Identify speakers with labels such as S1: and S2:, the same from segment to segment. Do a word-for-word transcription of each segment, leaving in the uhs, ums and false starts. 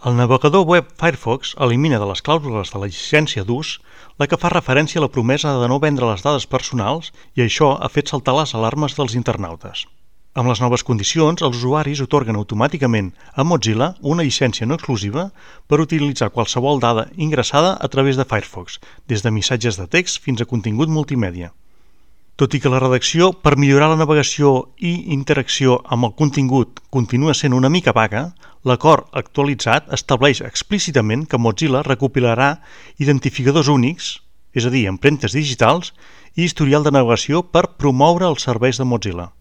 S1: El navegador web Firefox elimina de les clàusules de la llicència d'ús la que fa referència a la promesa de no vendre les dades personals i això ha fet saltar les alarmes dels internautes. Amb les noves condicions, els usuaris atorguen automàticament a Mozilla una llicència no exclusiva per utilitzar qualsevol dada ingressada a través de Firefox, des de missatges de text fins a contingut multimèdia. Tot i que la redacció per millorar la navegació i interacció amb el contingut continua sent una mica vaga, l'acord actualitzat estableix explícitament que Mozilla recopilarà identificadors únics, és a dir, empremtes digitals, i historial de navegació per promoure els serveis de Mozilla.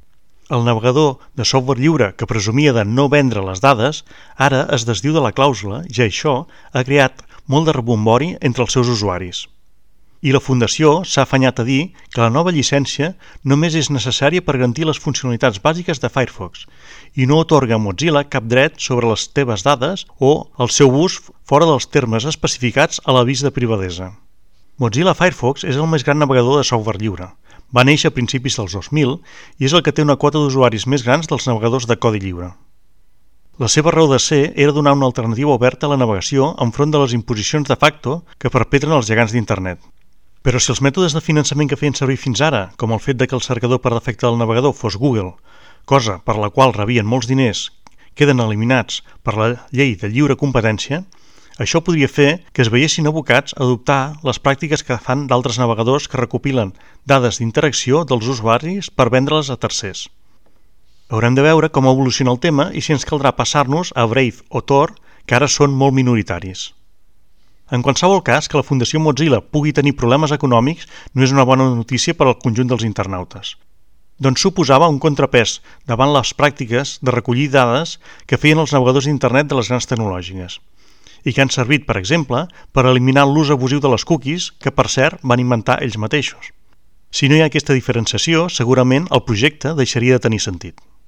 S1: El navegador de software lliure que presumia de no vendre les dades ara es desdiu de la clàusula i això ha creat molt de rebombori entre els seus usuaris. I la Fundació s'ha afanyat a dir que la nova llicència només és necessària per garantir les funcionalitats bàsiques de Firefox i no atorga a Mozilla cap dret sobre les teves dades o el seu ús fora dels termes especificats a l'avís de privadesa. Mozilla Firefox és el més gran navegador de software lliure. Va néixer a principis dels dos mil i és el que té una quota d'usuaris més grans dels navegadors de codi lliure. La seva raó de ser era donar una alternativa oberta a la navegació enfront de les imposicions de facto que perpetren els gegants d'Internet. Però si els mètodes de finançament que feien servir fins ara, com el fet de que el cercador per defecte del navegador fos Google, cosa per la qual rebien molts diners, queden eliminats per la llei de lliure competència, això podria fer que es veiessin abocats a adoptar les pràctiques que fan d'altres navegadors que recopilen dades d'interacció dels usuaris per vendre-les a tercers. Haurem de veure com evoluciona el tema i si ens caldrà passar-nos a Brave o Tor, que ara són molt minoritaris. En qualsevol cas, que la Fundació Mozilla pugui tenir problemes econòmics no és una bona notícia per al conjunt dels internautes. Doncs suposava un contrapès davant les pràctiques de recollir dades que feien els navegadors d'internet de les grans tecnològiques i que han servit, per exemple, per eliminar l'ús abusiu de les cookies que, per cert, van inventar ells mateixos. Si no hi ha aquesta diferenciació, segurament el projecte deixaria de tenir sentit.